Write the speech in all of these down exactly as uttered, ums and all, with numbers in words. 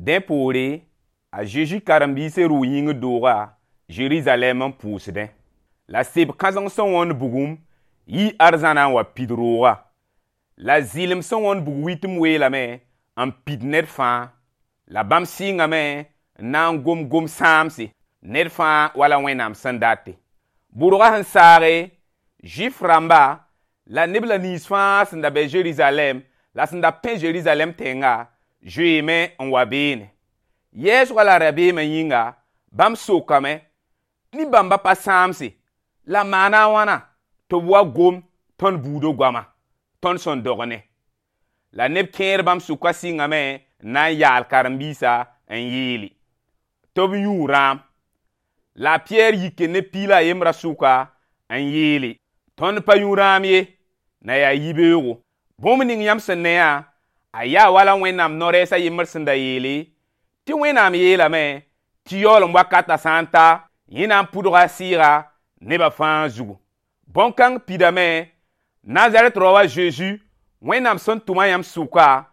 Dẽ poore, a Zeezi karen-biisã rʋʋ yĩngr dooga Zerizalɛɛm n pʋʋsdẽ. La seb kãseng sẽn wõnd bugum yii arzãna n wa pid roogã. La zɩlem sẽn wõnd bug wɩtem weelame n pid ned fãa. La bãmb sɩngame n na n gom gom-sãamse ned fãa wala Wẽnnaam sẽn date. Bʋrga sẽn saage, Zʋɩf rãmba la neb la nins fãa sẽn da be Zerizalɛɛm la sẽn da pẽ Zerizalɛɛm tẽnga zoeeme n wa beene. Yɛɛsgã la rabeemã yĩnga, bãmb sokame nin-bãmba pa sãamse la maana a wãna tɩ b wa gom tõnd buudã goama, tõnd sẽn dog ne. La neb kẽer bãmb sʋka sɩngame n na n yaal karen-biisã n yeele tɩ b yũ rãam. La a Piyɛr yike ne piig la a yembrã sʋka n yeele tõnd pa yũ rãam ye, na yaa yibeoogo. Bũmb ning yãmb sẽn ne yã, a yaa wala Wẽnnaam no-rɛɛs a yembr sẽn da yeele tɩ Wẽnnaam yeelame tɩ yaoolem wakatã sã n ta, yẽ na n pʋdga a sɩɩga nebã fãa zugu. Bõn-kãng pidame Nazarɛt rao a Zeezi, Wẽnnaam sẽn tʋma yãmb sʋka,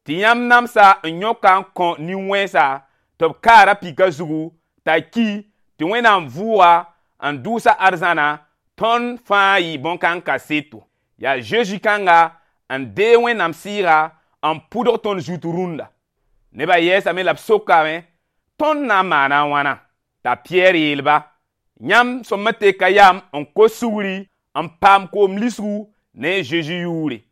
tɩ yãmb namsa n yõka n kõ nin-wẽnsa tɩ b kaara pika zugu t'a ki tɩ Wẽnnaam vʋʋga n dʋʋsa arzãna tõnd fãa yɩ bõn-kãng kaseto. Yaa Zeezi kãnga n deeg Wẽnnaam sɩɩga n pʋdg tõnd zut rũnda. Nebã yɛɛsame la b sokame tõnd na n maana a wãna? T'a Piyɛr yeel-ba, yãmb sõm teka yam n kos sugri n paam koom lisgu ne Zeezi yʋʋre.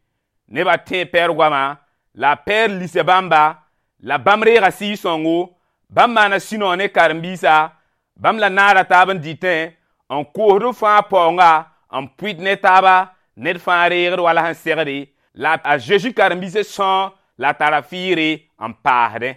Nebã tẽe pɛɛr goama la a Pɛɛr lisa bãmba la bãmb reega Sɩɩg-sõngo, bãmb maana sũ-noog ne karen-biisã, bãmb la naara taab n dɩtẽ n koosd b fãa paoonga n pʋɩt ne taaba ned fãa reegd wala sẽn segde la a Zeezi karen-biisã sõor la tara fɩɩre n paasdẽ.